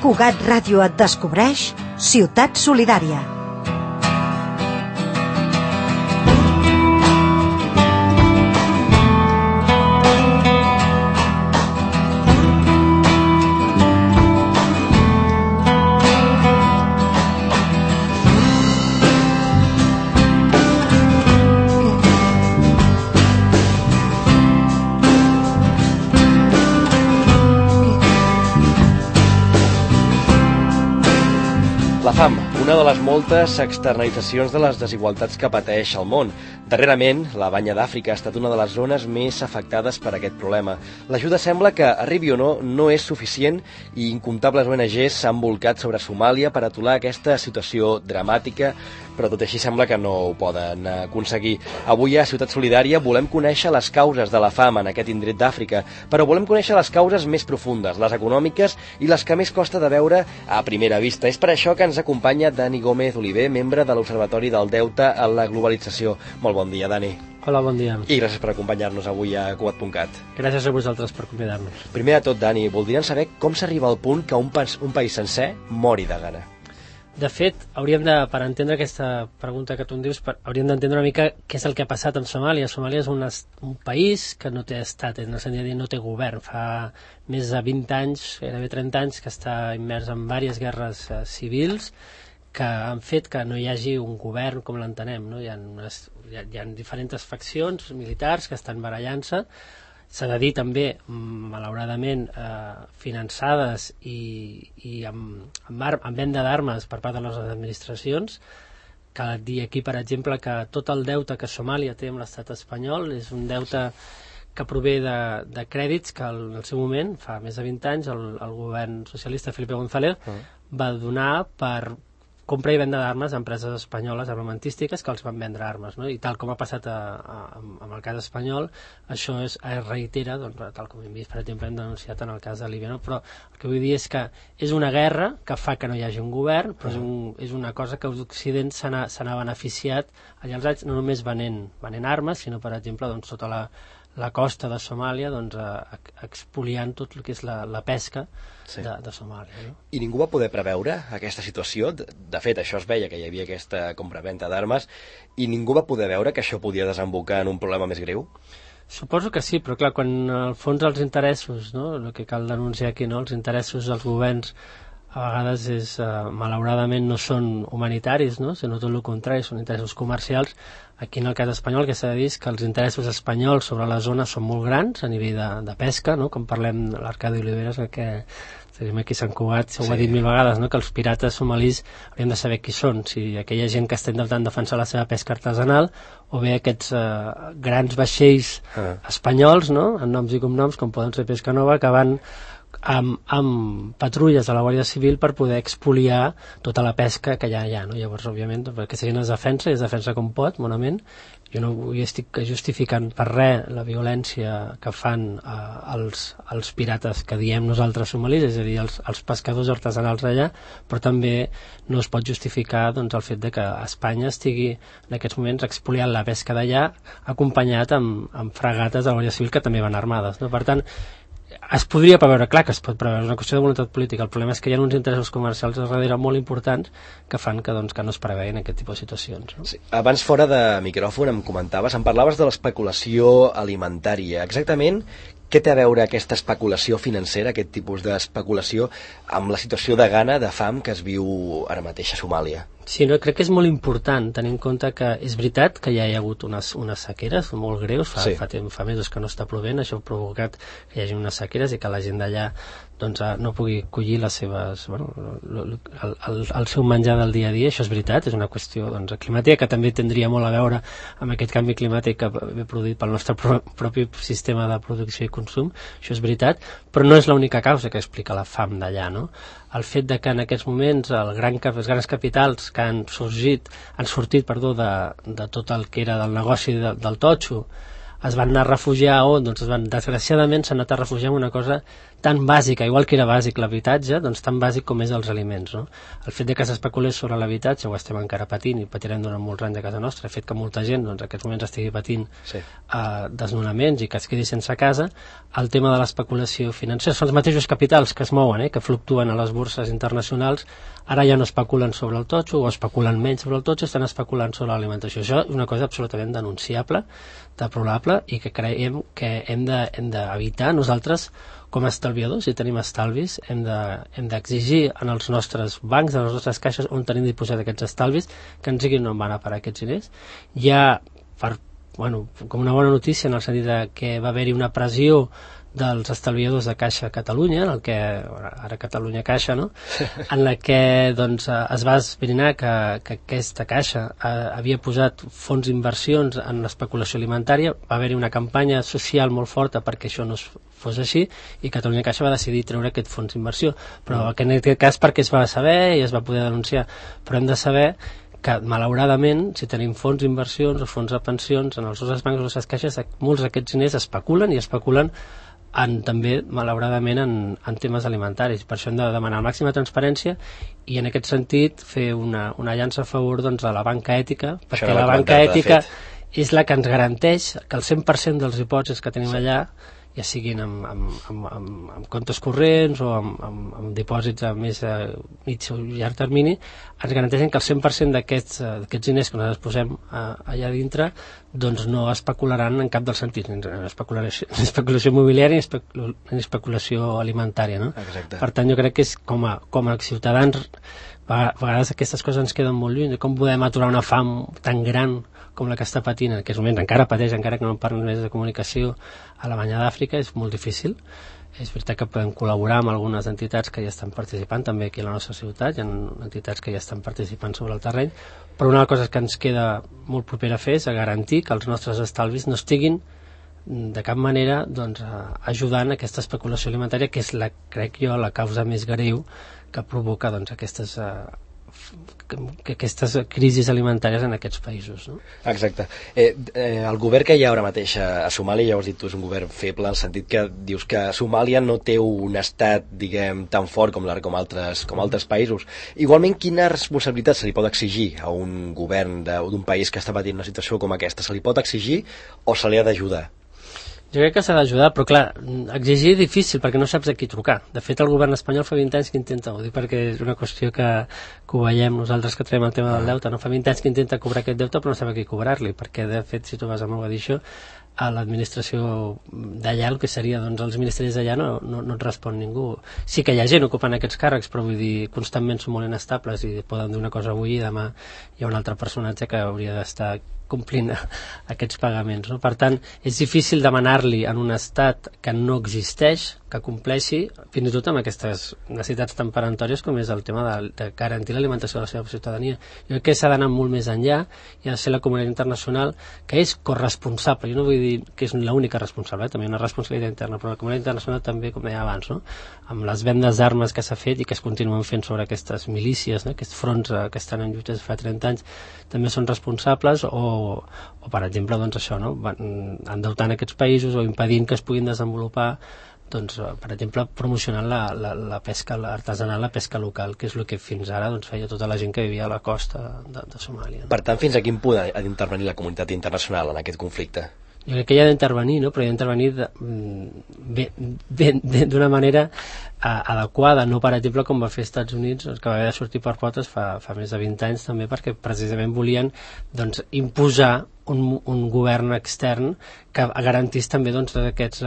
Cugat Ràdio et descobreix Ciutat Solidària. La fam, una de les moltes externalitzacions de les desigualtats que pateix el món. Darrerament, la Banya d'Àfrica ha estat una de les zones més afectades per aquest problema. L'ajuda sembla que, arribi o no és suficient i incomptables ONGs s'han volcat sobre Somàlia per aturar aquesta situació dramàtica, però tot així sembla que no ho poden aconseguir. Avui a Ciutat Solidària volem conèixer les causes de la fam en aquest indret d'Àfrica, però volem conèixer les causes més profundes, les econòmiques i les que més costa de veure a primera vista. És per això que ens acompanya Dani Gómez Oliver, membre de l'Observatori del Deute en la Globalització. Molt bon dia, Dani. Hola, bon dia. I gràcies per acompanyar-nos avui a Cugat.cat. Gràcies a vosaltres per convidar-nos. Primer de tot, Dani, voldríem saber com s'arriba al punt que un país sencer mori de gana. De fet, per entendre aquesta pregunta que tu em dius, hauríem d'entendre una mica què és el que ha passat en Somàlia. Somàlia és un país que no té estat, en el sentit de dir no té govern. Fa més de 20 anys, gairebé 30 anys, que està immers en diverses guerres civils que han fet que no hi hagi un govern com l'entenem, no? Hi ha diferents faccions militars que estan barallant-se. S'ha de dir també, malauradament, finançades i amb venda d'armes per part de les administracions. Cal dir aquí, per exemple, que tot el deute que Somàlia té amb l'estat espanyol és un deute que prové de crèdits que en el seu moment, fa més de 20 anys, el govern socialista Felipe González va donar per compra i venda d'armes a empreses espanyoles armamentístiques que els van vendre armes, no? I tal com ha passat amb el cas espanyol, això es reitera, doncs, tal com hem vist, per exemple, hem denunciat en el cas de Líbia, no? Però el que vull dir és que és una guerra que fa que no hi hagi un govern, però és una cosa que l'Occident se n'ha beneficiat allà als anys, no només venent armes, sinó, per exemple, doncs, sota la costa de Somàlia, doncs, expoliant tot el que és la pesca de Somàlia, no? I ningú va poder preveure aquesta situació? De fet, això es veia, que hi havia aquesta compra-venta d'armes, i ningú va poder veure que això podia desembocar en un problema més greu? Suposo que sí, però clar, quan al fons els interessos, no? El que cal denunciar aquí, no? Els interessos dels governs a vegades malauradament no són humanitaris, no? Sinó tot el contrari, són interessos comercials. Aquí en el cas espanyol, que s'ha de dir que els interessos espanyols sobre la zona són molt grans a nivell de pesca, no? Com parlem de l'Arcadi Oliveres, que tenim aquí a Sant Cugat, ho ha dit 1000 vegades, no? Que els pirates somalis hauríem de saber qui són, si aquella gent que està intentant defensar la seva pesca artesanal o bé aquests grans vaixells espanyols, no? En noms i cognoms, com poden ser Pescanova, que van amb patrulles de la Guàrdia Civil per poder expoliar tota la pesca que ja hi ha, no? Llavors, òbviament, perquè si gent es defensa com pot, bonament. Jo no estic justificant per res la violència que fan els pirates que diem nosaltres somalis, és a dir, els pescadors artesanals d'allà, però també no es pot justificar, doncs, el fet de que Espanya estigui en aquests moments expoliant la pesca d'allà acompanyat amb fragates de la Guàrdia Civil que també van armades, no? Per tant, es podria preveure, clar que es pot preveure, és una qüestió de voluntat política. El problema és que hi ha uns interessos comercials a darrere molt importants que fan que no es preveien aquest tipus de situacions, no? Sí. Abans, fora de micròfon, em parlaves de l'especulació alimentària. Exactament què té a veure aquesta especulació financera, aquest tipus d'especulació, amb la situació de gana, de fam que es viu ara mateix a Somàlia? Sí, no, crec que és molt important tenir en compte que és veritat que ja hi ha hagut unes sequeres molt greus, fa mesos que no està plovent, això ha provocat que hi hagi unes sequeres i que la gent d'allà doncs, no pugui collir les seves, el seu menjar del dia a dia. Això és veritat, és una qüestió doncs, climàtica que també tindria molt a veure amb aquest canvi climàtic que ve produït pel nostre propi sistema de producció i consum, això és veritat, però no és l'única causa que explica la fam d'allà, no? El fet de que en aquests moments els grans capitals que han sortit de tot el que era del negoci del totxo es van anar a refugiar on? Doncs desgraciadament s'han anat a refugiar en una cosa tan bàsica, igual que era bàsic l'habitatge, doncs tan bàsic com és els aliments, no? El fet de que s'especulés sobre l'habitatge ho estem encara patint i patirem durant molts anys a casa nostra, el fet que molta gent doncs, en aquests moments estigui patint desnonaments i que es quedi sense casa, el tema de l'especulació financera, són els mateixos capitals que es mouen, que fluctuen a les borses internacionals, ara ja no especulen sobre el totxo o especulen menys sobre el totxo, estan especulant sobre l'alimentació. Això és una cosa absolutament denunciable, deplorable i que creiem que hem d'evitar nosaltres com a estalviadors, si tenim estalvis, hem d'exigir en els nostres bancs, en les nostres caixes on tenim dipositat aquests estalvis, que ens diguin on van a parar aquests diners. Ja, com una bona notícia en el sentit que va haver-hi una pressió dels estalviadors de Caixa Catalunya, en el que, ara Catalunya Caixa, no? En la que doncs, es va esbrinar que aquesta Caixa havia posat fons d'inversions en l'especulació alimentària, va haver-hi una campanya social molt forta perquè això no fos així, i Catalunya Caixa va decidir treure aquest fons d'inversió, però en aquest cas perquè es va saber i es va poder denunciar, però hem de saber que malauradament, si tenim fons d'inversions o fons de pensions en els nostres bancs o les caixes, molts d'aquests diners especulen i especulen també, malauradament, en temes alimentaris. Per això hem de demanar màxima transparència i, en aquest sentit, fer una llança a favor doncs, de la banca ètica, perquè la banca ètica és la que ens garanteix que el 100% dels dipòsits que tenim allà, ja siguin amb comptes corrents o amb dipòsits a més a mig o llarg termini, ens garanteixen que el 100% d'aquests diners que nosaltres posem allà dintre doncs no especularan en cap dels sentits, ni especulació immobiliària ni especulació alimentària, no? Per tant, jo crec que és com a ciutadans, a vegades aquestes coses ens queden molt lluny, com podem aturar una fam tan gran com la que està patint en aquests moments, encara pateix, encara que no parlen més de comunicació, a la Banya d'Àfrica, és molt difícil. És veritat que podem col·laborar amb algunes entitats que ja estan participant, també aquí a la nostra ciutat, hi ha entitats que ja estan participant sobre el terreny, però una cosa que ens queda molt propera a fer és a garantir que els nostres estalvis no estiguin de cap manera doncs, ajudant a aquesta especulació alimentària, que és, crec jo, la causa més greu que provoca doncs, aquestes crisis alimentàries en aquests països, no? Exacte. El govern que hi ha ara mateix a Somàlia, ja ho has dit tu, és un govern feble, en el sentit que dius que Somàlia no té un estat, diguem, tan fort com altres països. Igualment, quina responsabilitat se li pot exigir a un govern d'un país que està patint una situació com aquesta? Se li pot exigir o se li ha d'ajudar? Jo crec que s'ha d'ajudar, però clar, exigir és difícil perquè no saps a qui trucar. De fet, el govern espanyol fa 20 anys que intenta, ho dic perquè és una qüestió que ho veiem nosaltres que traiem el tema del deute, no? Fa 20 anys que intenta cobrar aquest deute però no sap a qui cobrar-li, perquè de fet, si tu vas a Mogadiscio, a l'administració d'allà, el que seria doncs, els ministeris d'allà no et respon ningú. Sí que hi ha gent ocupant aquests càrrecs, però vull dir, constantment són molt inestables i poden dir una cosa avui i demà hi ha un altre personatge que hauria d'estar complint aquests pagaments, no? Per tant, és difícil demanar-li en un estat que no existeix que compleixi, fins i tot amb aquestes necessitats tan peremptòries com és el tema de garantir l'alimentació de la seva ciutadania. Jo crec que s'ha d'anar molt més enllà i ha de ser la comunitat internacional que és corresponsable. Jo no vull dir que és l'única responsable, també hi ha una responsabilitat interna, però la comunitat internacional també, com deia abans, no? Amb les vendes d'armes que s'ha fet i que es continuen fent sobre aquestes milícies, no? Aquests fronts que estan en lluites fa 30 anys, també són responsables o per exemple, doncs això, no? Endeutant aquests països o impedint que es puguin desenvolupar, doncs, per exemple, promocionant la pesca artesanal, la pesca local, que és el que fins ara doncs, feia tota la gent que vivia a la costa de Somàlia. Per tant, fins a quin punt ha d'intervenir la comunitat internacional en aquest conflicte? Jo crec que hi ha d'intervenir, no? Però hi ha d'intervenir d'una manera adequada, no per exemple com va fer als Estats Units, que va haver de sortir per potes fa més de 20 anys també, perquè precisament volien doncs, imposar un govern extern que garantís també doncs, aquests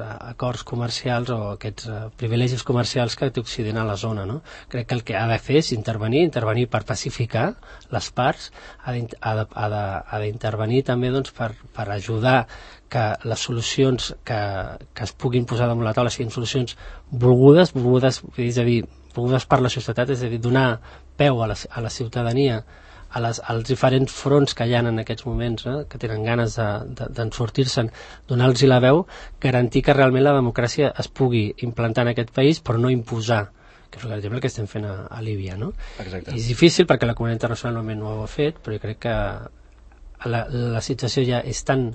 acords comercials o aquests privilegis comercials que té Occident a la zona, no? Crec que el que ha de fer és intervenir per pacificar les parts, ha d'intervenir també doncs, per ajudar que les solucions que es puguin posar damunt la taula siguin solucions volgudes, és a dir, volgudes per la societat, és a dir, donar peu a la ciutadania, als diferents fronts que hi ha en aquests moments, que tenen ganes d'en sortir-se'n, donar-los la veu, garantir que realment la democràcia es pugui implantar en aquest país, però no imposar, que és per exemple el que estem fent a Líbia, no? Exacte. És difícil perquè la comunitat internacional no ho ha fet, però jo crec que la situació ja és tan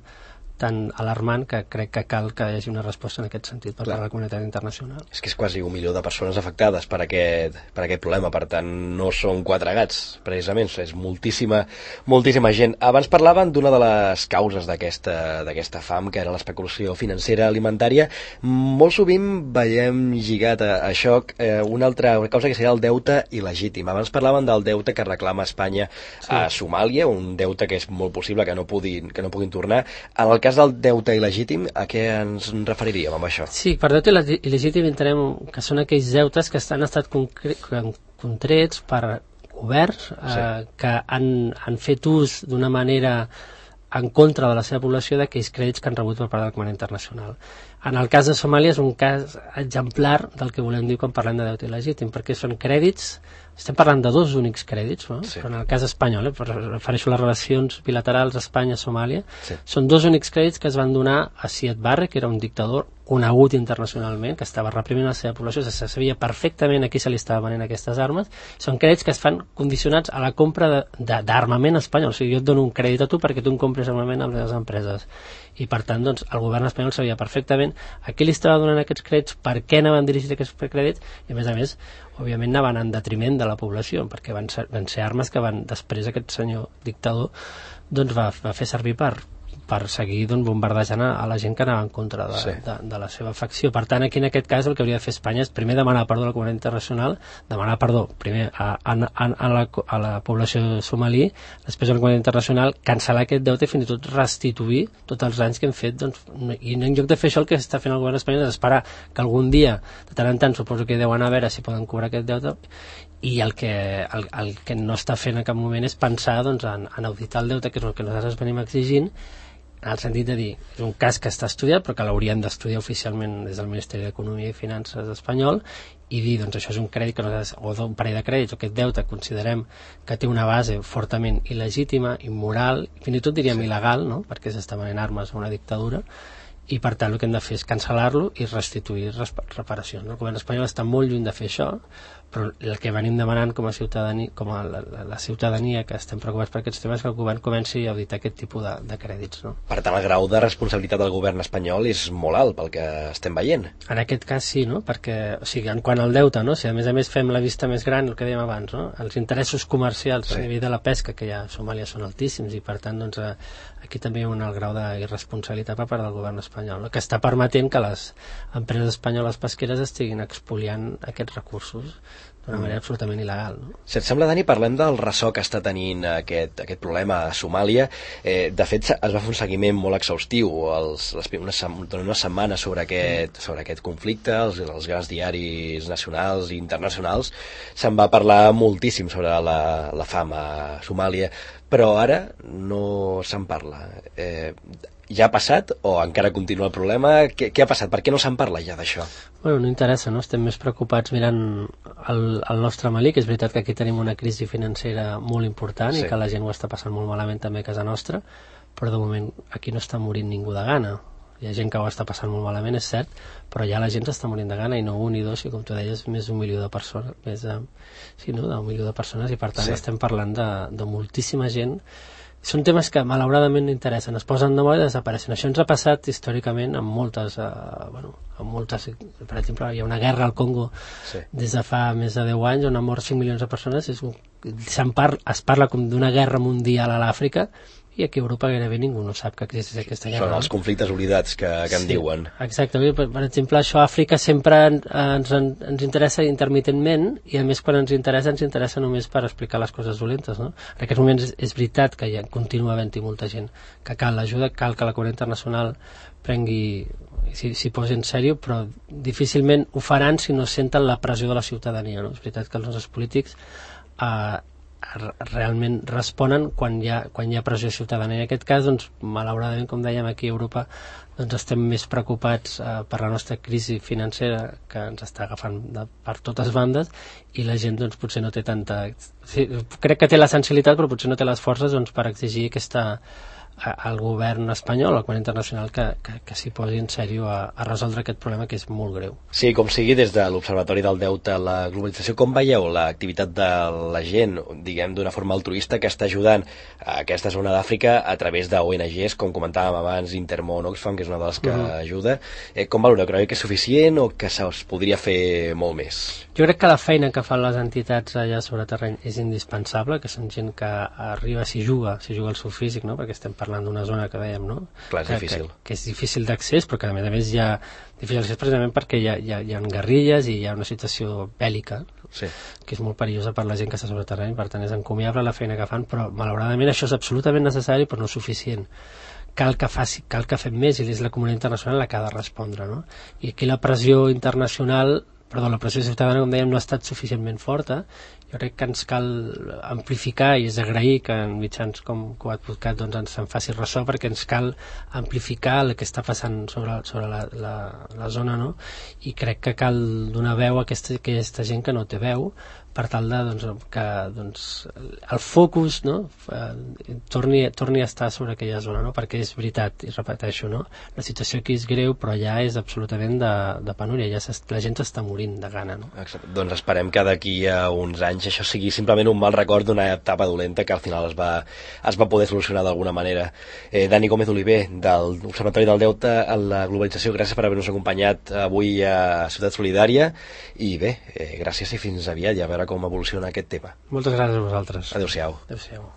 tan alarmant que crec que cal que hi hagi una resposta en aquest sentit per part de la comunitat internacional. És que és quasi 1 milió de persones afectades per aquest problema, per tant no són 4 gats, precisament, és moltíssima gent. Abans parlaven d'una de les causes d'aquesta fam, que era l'especulació financera alimentària. Molt sovint veiem lligat a això una altra causa que seria el deute il·legítim. Abans parlaven del deute que reclama Espanya a Somàlia, un deute que és molt possible que no puguin tornar. En el cas del deute il·legítim, a què ens referiríem amb això? Sí, per deute il·legítim entenem que són aquells deutes que han estat contrets per governs que han fet ús d'una manera en contra de la seva població d'aquells crèdits que han rebut per part del Comitè Internacional. En el cas de Somàlia és un cas exemplar del que volem dir quan parlem de deute il·legítim, perquè són crèdits, estem parlant de 2 únics crèdits, no? Però en el cas espanyol, refereixo a les relacions bilaterals Espanya-Somàlia, són 2 únics crèdits que es van donar a Siad Barre, que era un dictador conegut internacionalment, que estava reprimint la seva població, se sabia perfectament a qui se li estava venent aquestes armes. Són crèdits que es fan condicionats a la compra d'armament espanyol. O sigui, jo et dono un crèdit a tu perquè tu em compres armament a les empreses. I per tant, doncs, el govern espanyol sabia perfectament a qui li estava donant aquests crèdits, per què anaven dirigits aquests crèdits, i a més, òbviament anaven en detriment de la població, perquè van ser armes que després aquest senyor dictador doncs, va fer servir per seguir bombardejant a la gent que anava en contra de la seva facció. Per tant, aquí en aquest cas el que hauria de fer Espanya és primer demanar perdó a la comunitat internacional, demanar perdó primer a la població somalí, després a la comunitat internacional, cancel·lar aquest deute i fins i tot restituir tots els anys que hem fet, i en lloc de fer això el que està fent el govern espanyol és esperar que algun dia, de tant en tant, suposo que deuen a veure si poden cobrar aquest deute, i el que no està fent en cap moment és pensar en auditar el deute, que és el que nosaltres venim exigint, en el sentit de dir, és un cas que està estudiat però que l'haurien d'estudiar oficialment des del Ministeri d'Economia i Finances espanyol i dir, doncs això és un crèdit que nosaltres, o un parell de crèdits, o aquest deute considerem que té una base fortament il·legítima, immoral, fins i tot diríem il·legal, no? Perquè s'està venent armes a una dictadura, i per tant el que hem de fer és cancel·lar-lo i restituir reparacions. El govern espanyol està molt lluny de fer això, però el que venim demanant com a ciutadania, la ciutadania que estem preocupats per aquests temes, que el govern comenci a auditar aquest tipus de crèdits. No? Per tant, el grau de responsabilitat del govern espanyol és molt alt pel que estem veient. En aquest cas sí, no? Perquè, o sigui, en quant al deute, no? Si a més fem la vista més gran, el que dèiem abans, no? Els interessos comercials a nivell de la pesca, que ja a Somàlia són altíssims, i per tant, doncs, aquí també hi ha un alt grau d'irresponsabilitat per part del govern espanyol, no? Que està permetent que les empreses espanyoles pesqueres estiguin expoliant aquests recursos d'una manera absolutament il·legal. No? Si et sembla, Dani, parlem del ressò que està tenint aquest problema a Somàlia. De fet, es va fer un seguiment molt exhaustiu una setmana sobre aquest conflicte, els grans diaris nacionals i internacionals. Se'n va parlar moltíssim sobre la fam a Somàlia, però ara no se'n parla. Ja ha passat o encara continua el problema? Què ha passat? Per què no se'n parla ja d'això? Bueno, no interessa, no? Estem més preocupats mirant el nostre Malí, que és veritat que aquí tenim una crisi financera molt important i que la gent ho està passant molt malament també a casa nostra, però de moment aquí no està morint ningú de gana. Hi ha gent que ho està passant molt malament, és cert, però ja la gent s'està morint de gana, i no un ni dos, i com tu deies, més d'1 milió de persones, d'1 milió de persones, i per tant estem parlant de moltíssima gent. Són temes que malauradament no interessen, es posen de moda i desapareixen. Això ens ha passat històricament amb moltes, per exemple, hi ha una guerra al Congo des de fa més de 10 anys on han mort 5 milions de persones, es parla com d'una guerra mundial a l'Àfrica, i aquí a Europa gairebé ningú no sap que existeix aquesta guerra. Són els conflictes oblidats que en diuen. Exacte, per exemple, això a Àfrica sempre ens interessa intermitentment, i a més quan ens interessa només per explicar les coses dolentes. No? En aquests moments és veritat que ja continua havent-hi molta gent que cal l'ajuda, cal que la comunitat internacional s'hi posi en sèrio, però difícilment ho faran si no senten la pressió de la ciutadania. No? És veritat que els nostres polítics realment responen quan hi ha pressió ciutadana. En aquest cas, doncs, malauradament, com dèiem, aquí a Europa doncs estem més preocupats per la nostra crisi financera, que ens està agafant per totes bandes, i la gent doncs, potser no té tanta... crec que té la sensibilitat, però potser no té les forces doncs, per exigir aquesta al govern espanyol, al govern internacional, que s'hi posi en sèrio a resoldre aquest problema que és molt greu. Sí, com sigui, des de l'Observatori del Deute a la globalització, com veieu l'activitat de la gent, diguem, d'una forma altruista que està ajudant a aquesta zona d'Àfrica a través d'ONGs, com comentàvem abans, Intermón, Oxfam, que és una de les que ajuda. Com valoreu? Creu que és suficient o que se'ls podria fer molt més? Jo crec que la feina que fan les entitats allà sobre terreny és indispensable, que són gent que arriba, s'hi juga el seu físic, no? Perquè estem parlant d'una zona que dèiem, no? Clar, és difícil. Que és difícil d'accés, però que a més hi ha difícil d'accés precisament perquè hi ha guerrilles i hi ha una situació bèl·lica, sí, que és molt perillosa per la gent que està sobre terreny, per tant és encomiable la feina que fan, però malauradament això és absolutament necessari però no suficient. Cal que fem més i és la comunitat internacional la que ha de respondre, no? I aquí la pressió ciutadana, com dèiem, no ha estat suficientment forta. Jo crec que ens cal amplificar, i és d'agrair que en mitjans com Coadvocat doncs ens en faci ressò, perquè ens cal amplificar el que està passant sobre la zona, no? I crec que cal donar veu a aquesta gent que no té veu, per tal que el focus, no? torni a estar sobre aquella zona, no? Perquè és veritat, i repeteixo, no? La situació aquí és greu, però ja és absolutament de penúria, la gent està morint de gana, no? Exacte. Doncs esperem que d'aquí a uns anys això sigui simplement un mal record d'una etapa dolenta que al final es va poder solucionar d'alguna manera. Dani Gómez Oliver, de l'Observatori del Deute a la globalització, gràcies per haver-nos acompanyat avui a Ciutat Solidària, i bé, gràcies i fins aviat, i a veure com evoluciona aquest tema. Moltes gràcies a vosaltres. Adéu-siau. Adéu-siau.